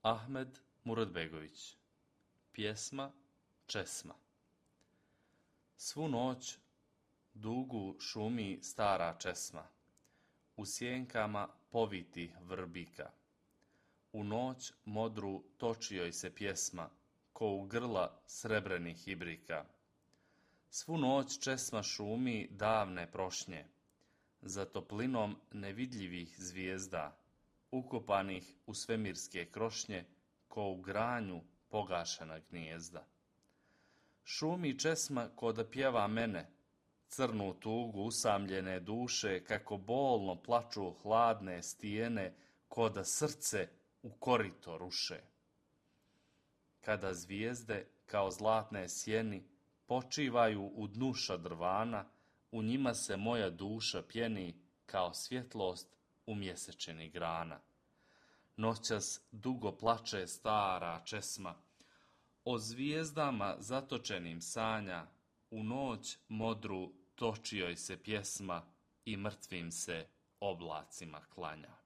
Ahmed Muradbegović. Pjesma Česma. Svu noć dugu šumi stara česma, u sjenkama poviti vrbika. U noć modru toči joj se pjesma, ko u grla srebrenih ibrika. Svu noć česma šumi davne prošnje, za toplinom nevidljivih zvijezda, ukopanih u svemirske krošnje, ko u granju pogašena gnijezda. Šumi česma ko da pjeva mene, crnu tugu usamljene duše, kako bolno plaču hladne stijene, ko da srce u korito ruše. Kada zvijezde kao zlatne sjeni počivaju u dnu šadrvana, u njima se moja duša pjeni kao svjetlost u mjesečini grana. Noćas dugo plače stara česma, o zvijezdama zatočenim sanja, u noć modru toči joj se pjesma i mrtvim se oblacima klanja.